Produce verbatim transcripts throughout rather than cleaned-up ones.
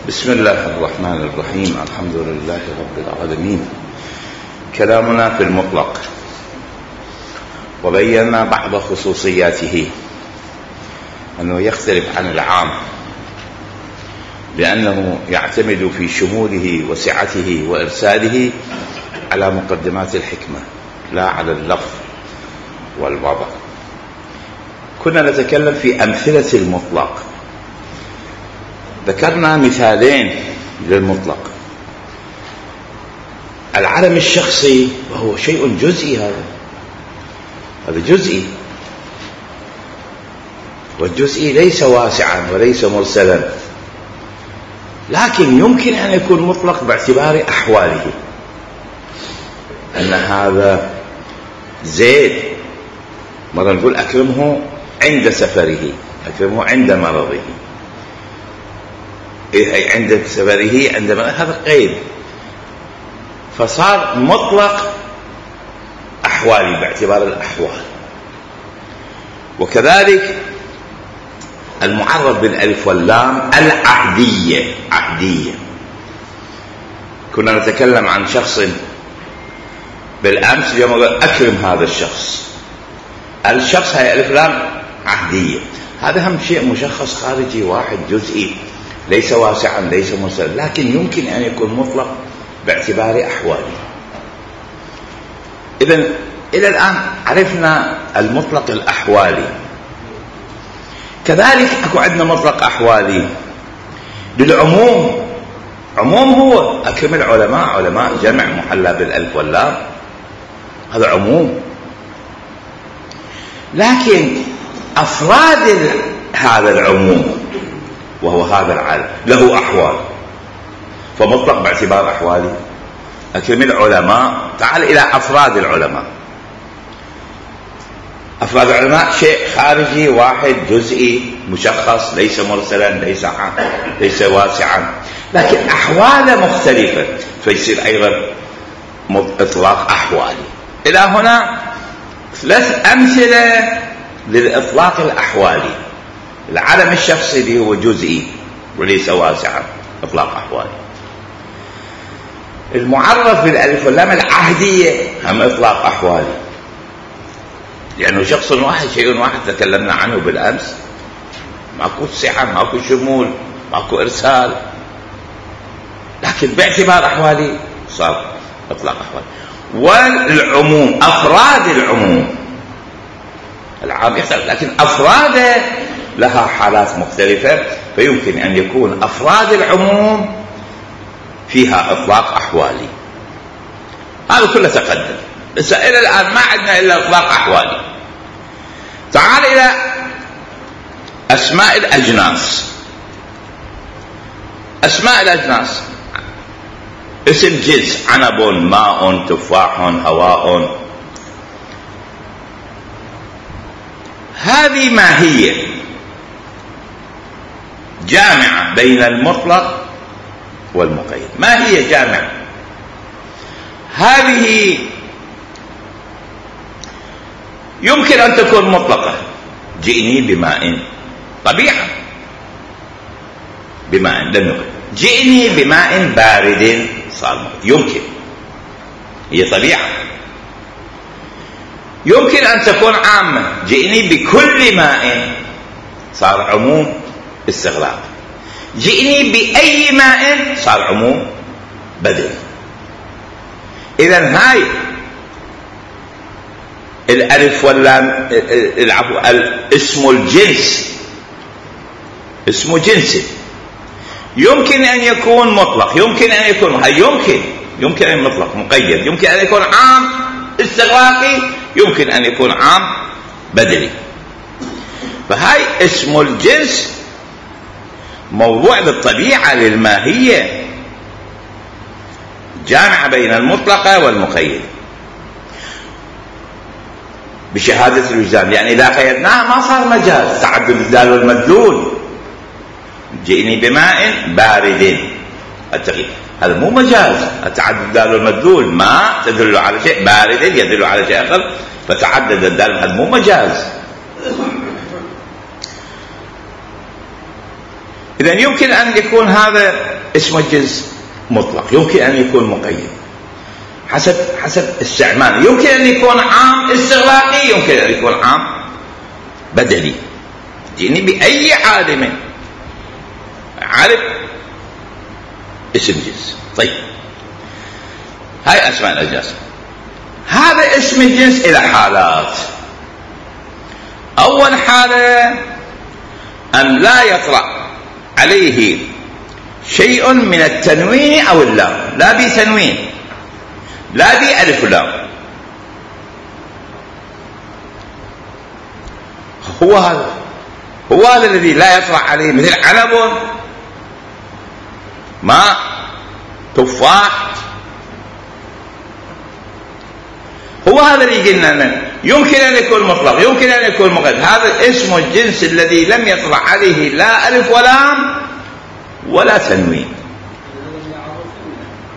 بسم الله الرحمن الرحيم. الحمد لله رب العالمين. كلامنا في المطلق، وبينا بعض خصوصياته، أنه يختلف عن العام لأنه يعتمد في شموله وسعته وإرساله على مقدمات الحكمة لا على اللفظ والوضع. كنا نتكلم في أمثلة المطلق، ذكرنا مثالين للمطلق: العلم الشخصي وهو شيء جزئي، هذا هذا جزئي، والجزئي ليس واسعا وليس مرسلا، لكن يمكن أن يكون مطلق باعتبار أحواله، أن هذا زيد مرة نقول أكرمه عند سفره، أكرمه عند مرضه، عند سفره عند مرضه، هذا قيد، فصار مطلق أحوالي باعتبار الأحوال. وكذلك المعرف بالألف واللام العهدية، عهدية. كنا نتكلم عن شخص بالأمس، اليوم أكرم هذا الشخص، الشخص هي ألف لام عهدية، هذا هم شيء مشخص خارجي واحد جزئي، ليس واسعا ليس مرسلا، لكن يمكن أن يكون مطلق باعتبار أحواله. إذن إلى الآن عرفنا المطلق الأحوالي. كذلك أكو عندنا مطلق أحوالي للعموم. عموم هو أكرم العلماء، علماء جمع محلى بالألف واللام، هذا عموم. لكن أفراد هذا العموم وهو هذا العلم له أحوال، فمطلق باعتبار أحوالي. أكرم العلماء، تعال إلى أفراد العلماء. أفراد العلماء شيء خارجي واحد جزئي مشخص، ليس مرسلا ليس عام ليس واسعا، لكن أحواله مختلفة، فيصير أيضا إطلاق أحوالي. إلى هنا ثلاث أمثلة للإطلاق الأحوالي: العلم الشخصي اللي هو جزئي وليس واسعا، إطلاق أحوالي. المعرف بالألف واللام العهدية، هم إطلاق أحوالي، لأنه شخص واحد شيء واحد تكلمنا عنه بالأمس، ماكو سعة، ماكو شمول، ماكو إرسال، لكن باعتبار أحوالي صار إطلاق أحوالي. والعموم، أفراد العموم، العام يختلف لكن أفراده لها حالات مختلفة، فيمكن أن يكون أفراد العموم فيها إطلاق أحوالي. هذا كله تقدم، بس إلى الآن ما عندنا إلا إطلاق أحوالي. تعال إلى أسماء الأجناس. أسماء الأجناس: اسم جنس، عنب، ماء، تفاح، هواء. هذه ماهية جامعة بين المطلق والمقيد، ماهية جامعة. هذه يمكن أن تكون مطلقة: جئني بماء، طبيعة بماء لم يقل. جئني بماء بارد، صار يمكن، هي طبيعة. يمكن أن تكون عامة: جئني بكل ماء، صار عموم استغراق. جئني بأي ماء، صار عموم بدل. إذن هاي الألف واللام، العفو، اسم الجنس، اسم جنس يمكن أن يكون مطلق، يمكن أن يكون هاي يمكن يمكن أن مطلق مقيد، يمكن أن يكون عام استغراقي، يمكن أن يكون عام بدلي. فهاي اسم الجنس موضوع بالطبيعة للماهية، جامعة بين المطلقة والمقيد بشهادة الوجدان، يعني إذا قيدناها ما صار مجاز، تعدد الدال والمدلول. جئني بماء بارد، التغيير هذا مو مجاز، تعدد الدال والمدلول، ما تدل على شيء، بارد يدل على شيء آخر، فتعدد الدال، هذا مو مجاز. إذا يمكن أن يكون هذا اسم الجنس مطلق، يمكن أن يكون مقيد حسب حسب استعمال، يمكن أن يكون عام استغراقي، يمكن أن يكون عام بدلي. يعني بأي عالم عرف اسم جنس. طيب هاي أسماء الأجناس. هذا اسم الجنس إلى حالات. أول حالة أن لا يطرأ عليه شيء من التنوين أو اللام، لا بتنوين لا بألف لام، هو هذا هو هذا الذي لا يطرأ عليه، مثل عنب، ماء، تفاح، هو هذا اللي قلنا يمكن أن يكون مطلق، يمكن أن يكون مقيد. هذا اسم الجنس الذي لم يطلع عليه لا ألف ولام ولا تنوين.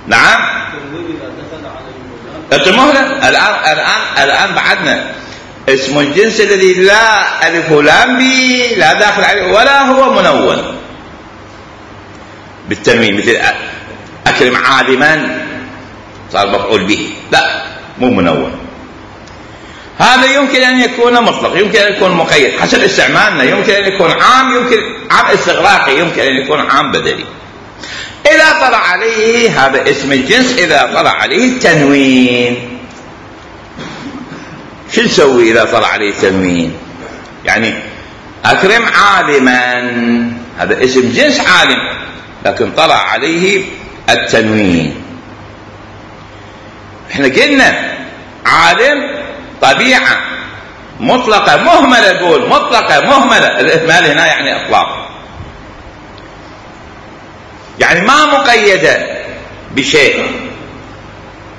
نعم اتمهلا الآن الآن الآن بعدنا اسم الجنس الذي لا ألف ولام به لا داخل عليه ولا هو منون بالتنوين، مثل أكرم عالما صار مفعول به، لا مو منون. هذا يمكن أن يكون مطلق، يمكن أن يكون مقيد حسب استعمالنا، يمكن أن يكون عام، يمكن عام استغراقي، يمكن أن يكون عام بدلي. إذا طلع عليه هذا اسم الجنس، إذا طلع عليه التنوين، شو نسوي إذا طلع عليه تنوين؟ يعني أكرم عالما، هذا اسم جنس عالم لكن طلع عليه التنوين. احنا قلنا عالم طبيعة مطلقة مهملة، نقول مطلقة مهملة، الإهمال هنا يعني إطلاق، يعني ما مقيدة بشيء،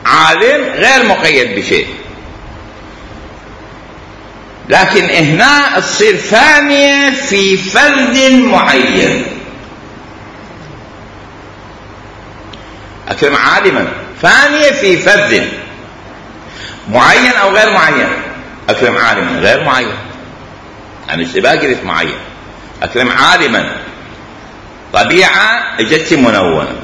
عالم غير مقيد بشيء. لكن هنا تصير ثانية في فرد معين. أكرم عالما ثانية في فرد معين أو غير معين. أكرم عالما غير معين، يعني اشتباه قلت معين. أكرم عالما طبيعة اجت منونة،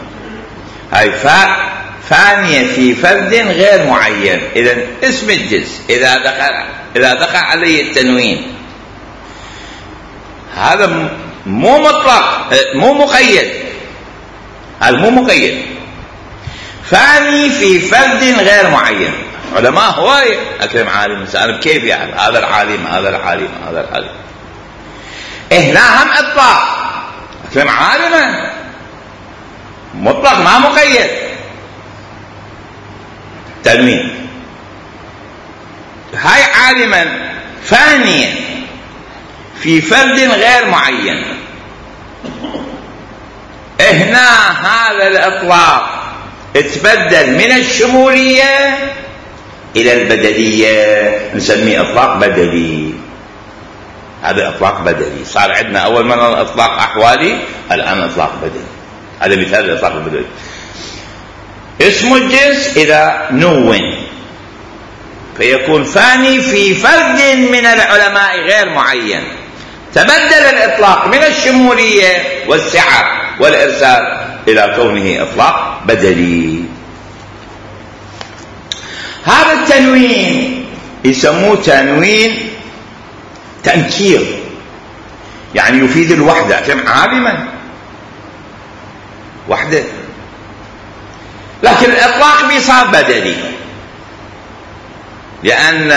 هاي فاء ثانية في فرد غير معين. إذن اسم الجنس إذا دخل إذا دخل عليه التنوين هذا مو مطلق، مو مقيد، هذا مو مقيد، ثاني في فرد غير معين. علماء هواية أكرم عالم سألب كيف يعني هذا العالم هذا العالم هذا العالم، هنا هم إطلاق، أكرم عالما مطلق ما مقيد، تنوين. هاي عالما ثانية في فرد غير معين، هنا هذا الإطلاق اتبدل من الشمولية إلى البدلية، نسميه إطلاق بدلي. هذا إطلاق بدلي، صار عندنا أول مرة إطلاق أحوالي، الآن إطلاق بدلي. هذا مثال الإطلاق البدلي. اسم الجنس إذا نون فيكون ثاني في فرد من العلماء غير معين، تبدل الإطلاق من الشمولية والسعة والإرسال إلى كونه إطلاق بدلي. هذا التنوين يسموه تنوين تنكير، يعني يفيد الوحدة، كم عالما وحدة، لكن الإطلاق بيصاب بدلي، لأن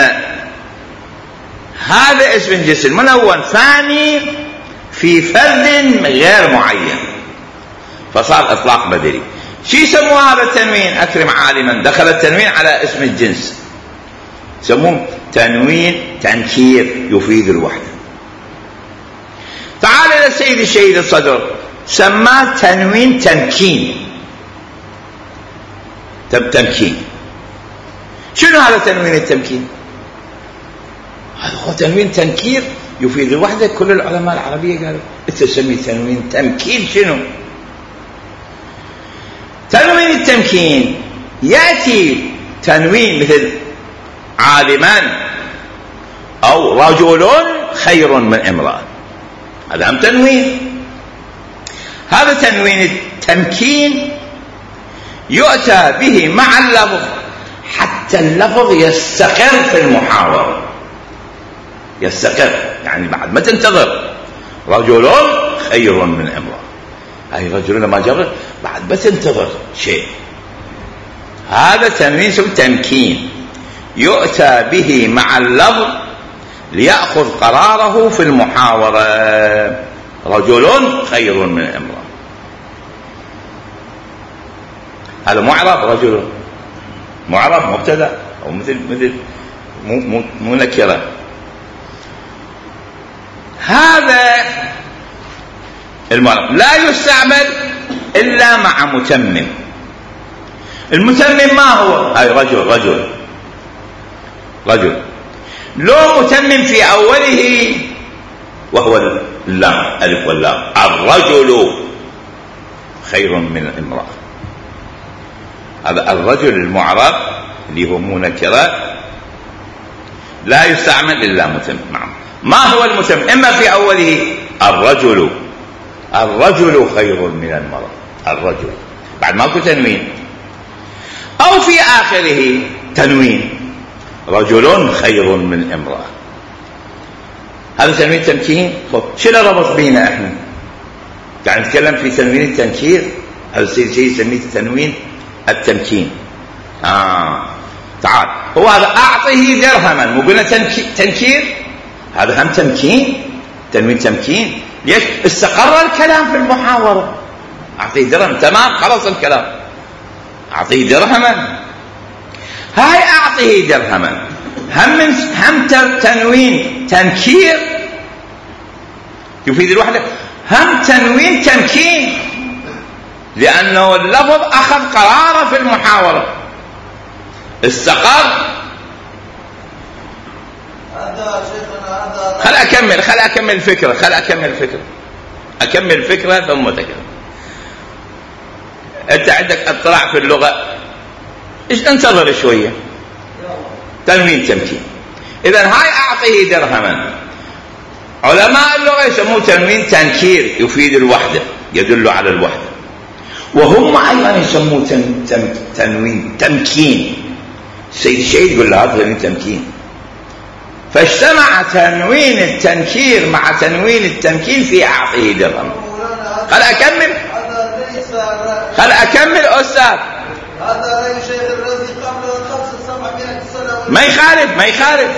هذا اسم الجنس المنون ثاني في فرد غير معين فصار إطلاق بدلي. شو يسموه هذا التنوين؟ أكرم عالما دخل التنوين على اسم الجنس، يسموه تنوين تنكير يفيد الوحدة. تعال إلى سيد الشهيد الصدر سماه تنوين تمكين. تمكين شنو هذا تنوين التمكين؟ هذا هو تنوين تنكير يفيد الوحدة. كل العلماء العربية قالوا انت تسميه تنوين تمكين. شنو تنوين التمكين؟ يأتي تنوين مثل عالمان أو رجل خير من امرأة، هذا هم تنوين. هذا تنوين التمكين يؤتى به مع اللفظ حتى اللفظ يستقر في المحاورة، يستقر يعني بعد ما تنتظر رجل خير من امرأة، أي رجل ما جرى بعد ما تنتظر شيء، هذا تنوين اسمه تمكين يؤتى به مع اللفظ ليأخذ قراره في المحاورة، رجل خير من امرأة. هذا معرب، رجل معرب مبتدأ أو مثل مثل مو مو مو نكرة. هذا المعرب لا يستعمل إلا مع متمم. المتمم ما هو؟ أي رجل رجل رجل لو متمم في أوله وهو اللام ألف واللام، الرجل خير من الامرأة. هذا الرجل المعرب اللي هو منكرات لا يستعمل إلا متمم. ما هو المتمم؟ إما في أوله الرجل الرجل خير من المرأة، الرجل بعد ماكو تنوين، أو في آخره تنوين رجل خير من امرأة. هذا تنوين تمكين. شنو ربط بينا احنا؟ قاعد نتكلم في تنوين التنكير، هذا الشيء يسميه تنوين التمكين. آه تعال، هو هذا أعطه درهما، مو قلنا تنكير؟ هذا هم تمكين، تنوين تمكين. ليش؟ استقر الكلام في المحاورة. أعطيه درهم، تمام، خلص الكلام. أعطيه درهما، هاي أعطيه درهما هم من هم تنوين تنكير يفيد الوحدة، هم تنوين تمكين، لأنه اللفظ أخذ قراره في المحاورة، استقر. خل أكمل خل أكمل الفكرة خل أكمل الفكرة أكمل الفكرة ثم تكلم. أنت عندك اطلاع في اللغة، إيش انتظر شوية. تنوين تمكين. إذن هاي أعطيه درهما، علماء اللغة يسموه تنوين تنكير يفيد الوحدة، يدل على الوحدة. وهم أيضا يسموه تن تن تنوين تمكين. سيد الشيخ يقول له هذا تنوين تمكين. فاجتمع تنوين التنكير مع تنوين التمكين في أعطيه درهما. خل أكمل خل أكمل أستاذ. هذا رأي الشيخ الرازي قبل خمس سبعمائة سنة. ما يخالف ما يخالف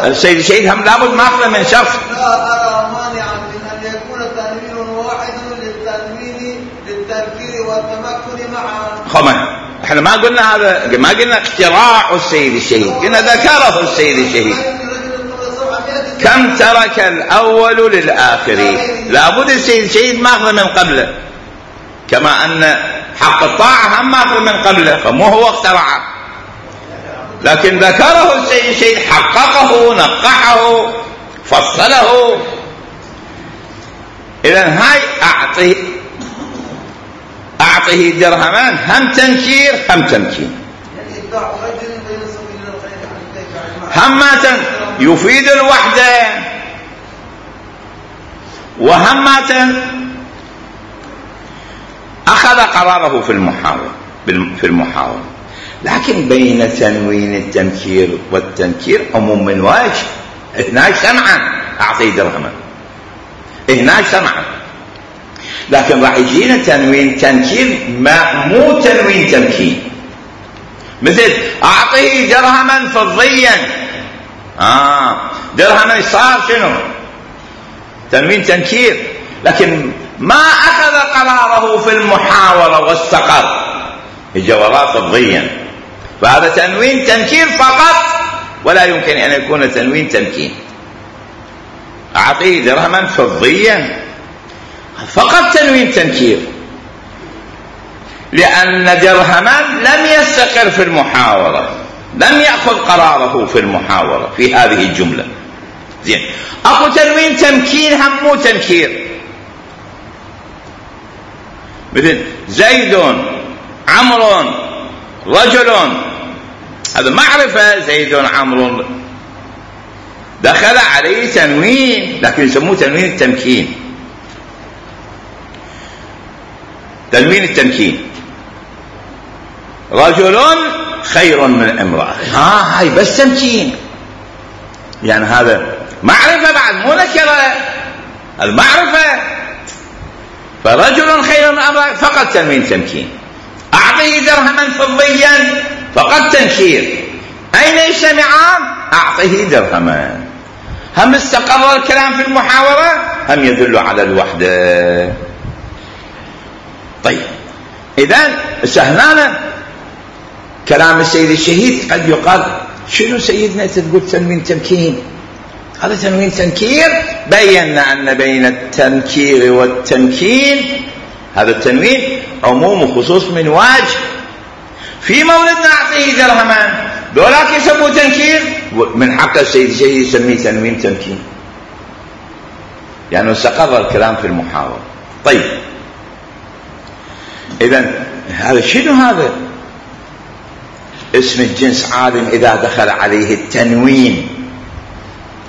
السيد الشيخ هم لابد ماخذ من شخص. لا أرى مانعا من أن يكون تنوين واحد للتنوين للتنكير والتمكن معا. خمن احنا ما قلنا هذا، ما قلنا اختراع السيد الشهيد، قلنا ذكره السيد الشهيد. كم ترك الأول للآخر، لابد السيد الشهيد ماخذ من قبله، كما أن حق الطاعة هم ماخذ من قبله، فمو هو اخترعه، لكن ذكره السيد الشهيد، حققه، نقحه، فصله. إذن هاي أعطي أعطيه درهمان هم تنكير هم تمكين. همة يفيد الوحدة، وهمة أخذ قراره في المحاورة في المحاورة لكن بين تنوين التنكير والتنكير عموم من وجه. هناك سمعا أعطيه درهما، هناك سمعا، لكن راح يجينا تنوين تنكير ما مو تنوين تمكين. مثل أعطيه درهما فضيا، آه درهما صار شنو؟ تنوين تنكير، لكن ما أخذ قراره في المحاورة واستقر، اجى وراه فضيا، فهذا تنوين تنكير فقط، ولا يمكن أن يكون تنوين تمكين. أعطيه درهما فضيا فقط تنوين تنكير، لأن درهما لم يستقر في المحاورة، لم يأخذ قراره في المحاورة في هذه الجملة. زين، أكو تنوين تمكين هم مو تنكير، مثل زيد عمرو رجل، هذا معرفة، زيد عمرو دخل عليه تنوين، لكن يسموه تنوين التمكين. تنوين التمكين، رجل خير من امرأة، ها هاي بس تمكين، يعني هذا معرفة بعد مو نكرة، المعرفة. فرجل خير من امرأة فقط تنوين تمكين. اعطيه درهما فضيا فقط تنكير. اين يجتمعان؟ اعطيه درهما. هم استقر الكلام في المحاورة، هم يدل على الوحدة. طيب اذا هنا كلام السيد الشهيد قد يقال شنو سيدنا تقول تنوين تمكين؟ هذا تنوين تنكير. بينا ان بين التنكير والتمكين هذا التنوين عموم وخصوص من واجب. في مولدنا اعطيه درهما دولاك يسموه تنكير، من حق السيد الشهيد يسميه تنوين تمكين، يعني استقر الكلام في المحاورة. طيب اذا هذا شنو؟ هذا اسم الجنس عالم اذا دخل عليه التنوين،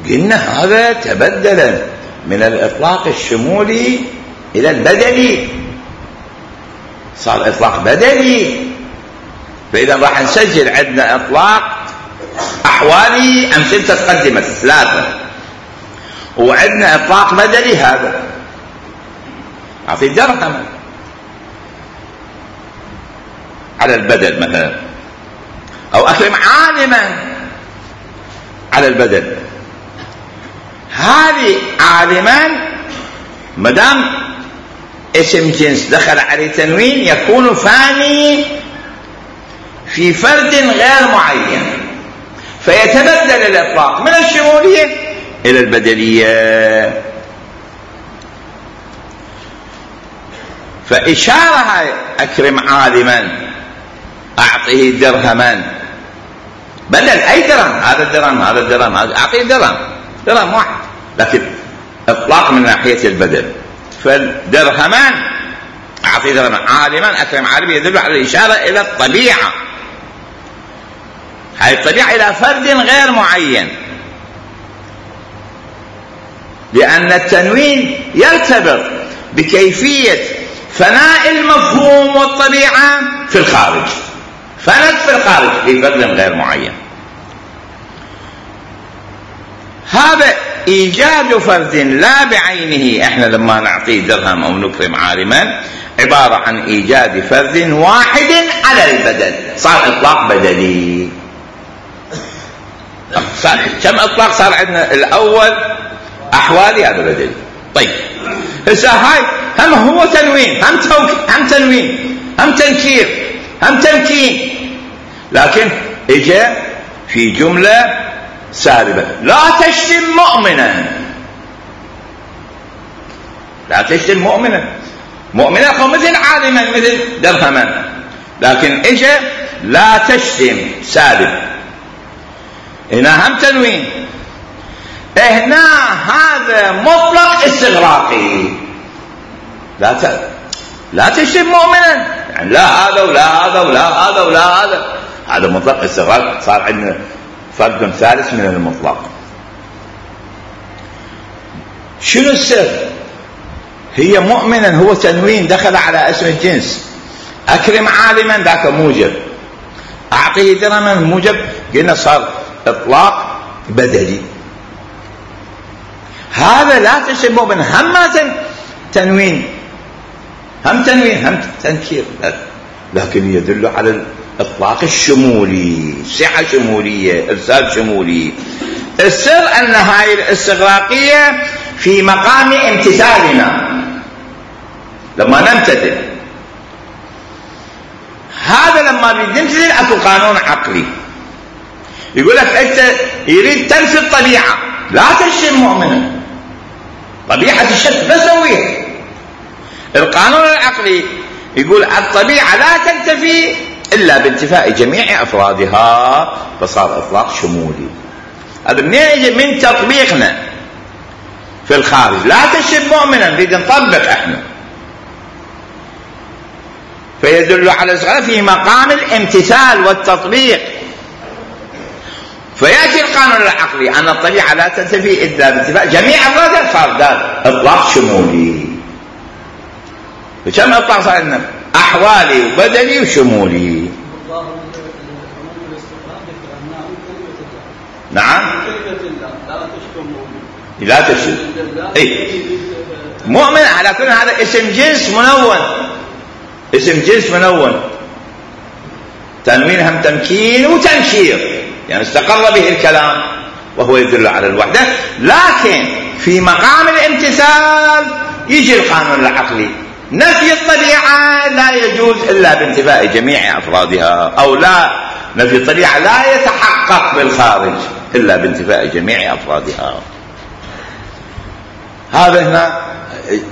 قلنا هذا تبدل من الاطلاق الشمولي الى البدلي، صار اطلاق بدلي. فاذا راح نسجل عندنا اطلاق احوالي امثلة تقدمت ثلاثة، وعندنا اطلاق بدلي. هذا اعطي درهم على البدل مثلا، او اكرم عالما على البدل. هذه عالما مدام اسم جنس دخل عليه تنوين يكون فاني في فرد غير معين، فيتبدل الاطلاق من الشمولية الى البدلية. فاشارة اكرم عالما اعطيه درهما بدل اي درهم، هذا الدرهم هذا الدرهم اعطيه درهم درهم واحد، لكن اطلاق من ناحية البدل. فالدرهمان اعطيه درهما عالما اكرم عالما يدل على الاشارة الى الطبيعة، هاي الطبيعة الى فرد غير معين، لان التنوين يرتبط بكيفية فناء المفهوم والطبيعة في الخارج، فنت في الخارج في فرد غير معين. هذا ايجاد فرد لا بعينه، احنا لما نعطيه درهم او نكرم عالما عبارة عن ايجاد فرد واحد على البدل، صار اطلاق بدلي. صار كم اطلاق صار عندنا؟ الاول احوالي هذا بدلي. طيب هسه هاي هم هو تنوين، هم توك... هم تنوين هم تنكير هم تمكين، لكن اجى في جملة سالبة: لا تشتم مؤمنا. لا تشتم مؤمنا، مؤمنا هو مثل عالما مثل درهما، لكن اجى لا تشتم سالب. هنا هم تنوين، هنا هذا مطلق استغراقي. لا ت... لا تشتم مؤمنا، يعني لا هذا ولا هذا ولا هذا ولا هذا، هذا مطلق استغراق. صار عندنا فرد ثالث من المطلق. شنو السر؟ هي مؤمنا هو تنوين دخل على اسم الجنس، اكرم عالما ذاك موجب، اعطيه درهما موجب، قلنا صار اطلاق بدلي. هذا لا تشتم مؤمن هم تنوين هم تنوين هم تنكير، لكن يدل على الاطلاق الشمولي، صحة شمولية، ارسال شمولي. السر ان هاي الاستغراقية في مقام امتثالنا، لما نمتثل هذا لما بنمتثل اكو قانون عقلي يقول لك انت يريد تنفي الطبيعة، لا تشتم مؤمنا، طبيعة الشتم بسويها. القانون العقلي يقول الطبيعة لا تنتفي إلا بانتفاء جميع أفرادها، فصار إطلاق شمولي. هذا منين يجي؟ من تطبيقنا في الخارج. لا تشتم مؤمنا، نريد نطبق احنا، فيدل على الصغير في مقام الامتثال والتطبيق. فيأتي القانون العقلي أن الطبيعة لا تنتفي إلا بانتفاء جميع أفرادها، صار دار إطلاق شمولي. فكم اطلاق صار عندنا؟ احوالي وبدني وشمولي. نعم لا تشتم اي مؤمن على كل هذا اسم جنس منون، اسم جنس منون، تنوين هم تمكين وتنشير، يعني استقر به الكلام وهو يدل على الوحدة. لكن في مقام الامتثال يجي القانون العقلي، نفي الطبيعة لا يجوز إلا بانتفاء جميع أفرادها، أو لا نفي الطبيعة لا يتحقق بالخارج إلا بانتفاء جميع أفرادها. هذا هنا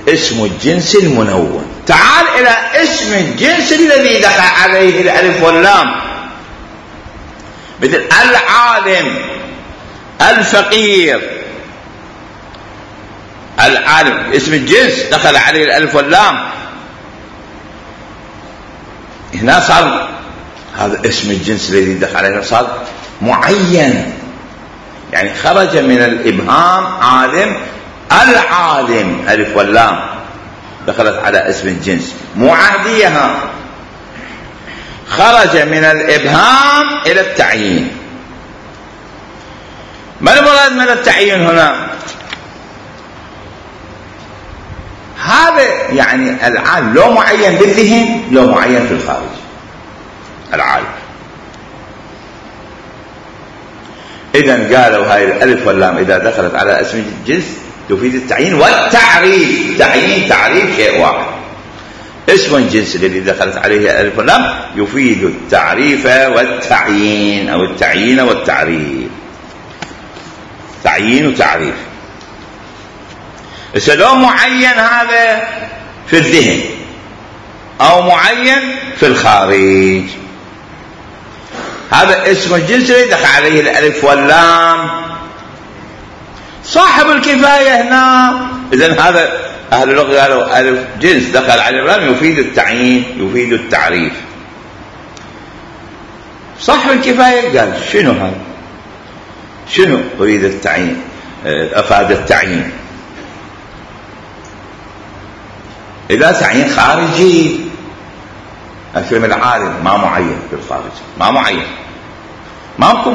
اسم الجنس المنون. تعال إلى اسم الجنس الذي دخل عليه الألف واللام، مثل العالم، الفقير. العالم اسم الجنس دخل عليه الألف واللام، هنا صار هذا اسم الجنس الذي دخل عليه صار معين، يعني خرج من الإبهام عالم، العالم ألف واللام دخلت على اسم الجنس، مو عهديها، خرج من الإبهام إلى التعيين. ما المراد من التعيين هنا؟ هذا يعني العالم لو معين بالذهن لو معين في الخارج. العالم إذن قالوا هاي الألف واللام إذا دخلت على اسم الجنس تفيد التعيين والتعريف. تعيين تعريف شيء واحد. اسم الجنس الذي دخلت عليه الألف واللام يفيد التعريف والتعيين، أو التعيين والتعريف، تعيين وتعريف. إذا لو معين هذا في الذهن أو معين في الخارج، هذا اسم الجنس الذي دخل عليه الألف واللام. صاحب الكفاية هنا، إذن هذا أهل اللغة قالوا ألف جنس دخل عليه اللام يفيد التعيين يفيد التعريف. صاحب الكفاية قال شنو هذا؟ شنو أريد التعيين؟ أفاد التعيين. إذا تعيين خارجي أكرم العالم ما معين في الخارج، ما معين، ماكو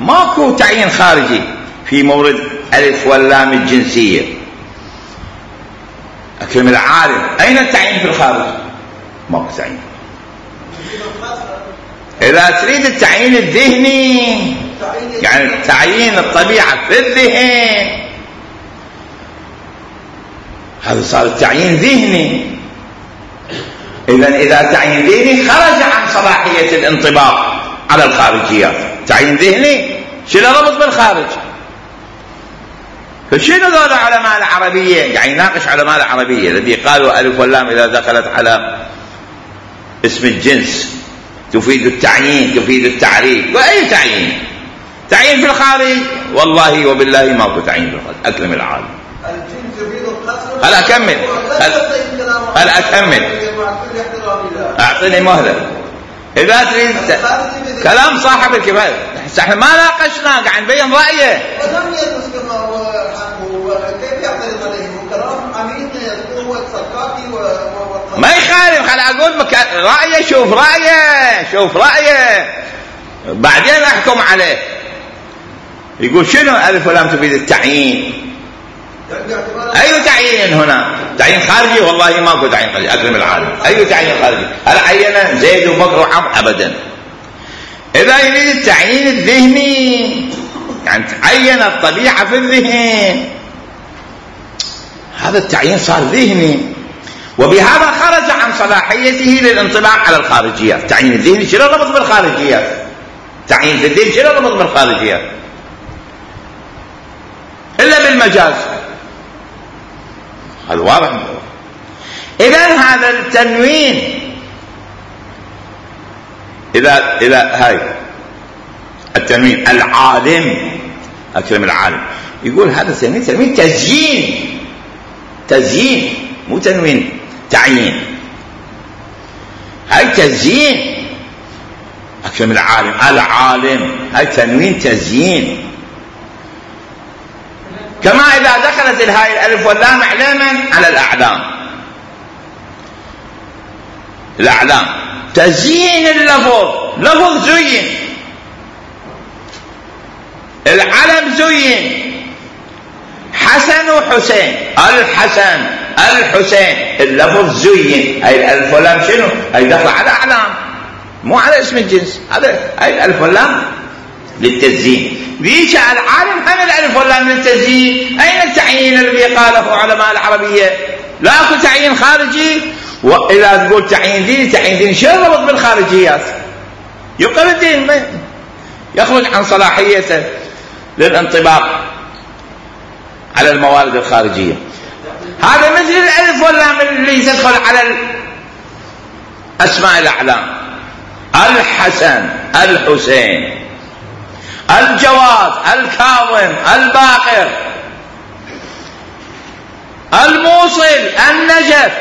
ماكو تعيين خارجي في مورد ألف واللام الجنسية. أكرم العالم أين التعيين في الخارج؟ ماكو تعيين. إذا تريد التعيين الذهني يعني تعيين الطبيعة في الذهن، هذا صار التعيين ذهني. إذن إذا تعيين ذهني خرج عن صلاحية الانطباق على الخارجيات. تعيين ذهني شنو ربط بالخارج؟ فشنو ذول علماء العربية قاعد يناقش علماء العربية الذي قالوا ألف واللام إذا دخلت على اسم الجنس تفيد التعيين تفيد التعريف. وأي تعيين؟ تعيين في الخارج والله وبالله ماكو تعيين في الخارج. أكرم العالم. هل أكمل هل أكمل أعطيني مهلة. إذا تريد كلام صاحب الكفاية احنا ما ناقشنا قاعد نبين رأيه. ما يخالف خل أقول مك... رأيه شوف رأيه شوف رأيه بعدين أحكم عليه. يقول شنو ألف ولام تفيد التعيين؟ أي تعيين هنا؟ تعيين خارجي؟ والله ماكو تعيين خارجي. أكرم العالم أي تعيين خارجي؟ هل عين زيد وبكر وعمر؟ أبدا. إذا يريد التعيين الذهني يعني تعين الطبيعة في الذهن، هذا التعيين صار ذهني، وبهذا خرج عن صلاحيته للانطباق على الخارجيات. التعيين الذهني شنو ربط بالخارجيات؟ تعيين الذهن شنو ربط بالخارجيات؟ إلا بالمجاز. هذا واضح. إذن هذا التنوين إذا إذا هاي التنوين العالم أكرم العالم يقول هذا تنوين تنوين تزيين تزيين مو تنوين تعيين. هاي تزيين أكرم العالم العالم هاي تنوين تزيين. كما إذا دخلت الهاء الألف واللام علما على الأعلام الأعلام تزيين اللفظ، لفظ زين، العلم زين، حسن وحسين، الحسن الحسين، اللفظ زين. هاي الألف واللام شنو؟ هاي دخل على أعلام مو على اسم الجنس، هذا هاي الألف واللام للتزيين. ذيك العالم هم الألف واللام للتزيين. أين التعيين الذي قاله علماء العربية؟ لا أكو تعيين خارجي. وإذا تقول تعيين ديني، تعيين ديني شو يربط بالخارجيات؟ يبقى الدين يخرج عن صلاحيته للانطباق على الموارد الخارجية. هذا مثل الألف واللام اللي تدخل على أسماء الأعلام، الحسن الحسين، الجواد الكاظم الباقر، الموصل النجف.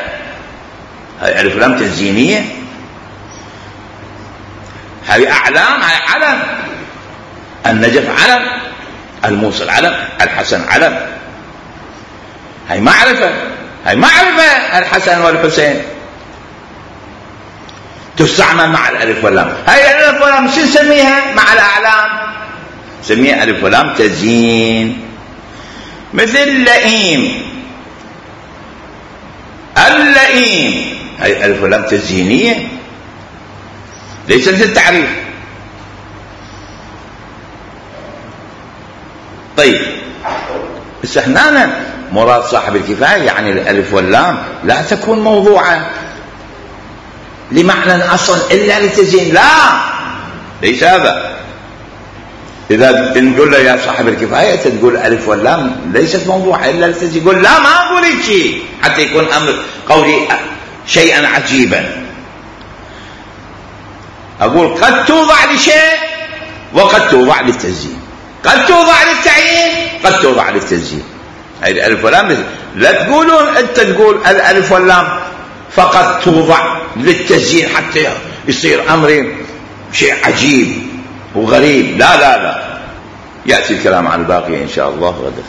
هاي ألف لام تزيينية، هاي أعلام، هاي علم. النجف علم، الموصل علم، الحسن علم. هاي معرفة، هاي معرفة الحسن والحسين تستعمل مع الألف واللام. هاي الألف واللام شو نسميها مع الأعلام؟ نسميها ألف واللام تزيين. مثل لئيم، اللئيم، هاي ألف واللام تزيينية ليست للتعريف. طيب بس هنا مراد صاحب الكفاية يعني الألف واللام لا تكون موضوعة لمعنى أصلا إلا للتزيين، لا ليس هذا. إذا نقول له يا صاحب الكفاية تقول ألف واللام ليست موضوعة إلا للتزيين، يقول لا ما أقول شيء حتى يكون أمر قولي شيئا عجيبا. أقول قد توضع لشيء وقد توضع للتزيين، قد توضع للتعيين قد توضع للتزيين. هاي الألف واللام لا تقولون أنت تقول الألف واللام فقط توضع للتزيين حتى يصير أمر شيء عجيب وغريب، لا لا لا. يأتي الكلام عن الباقي إن شاء الله غدا.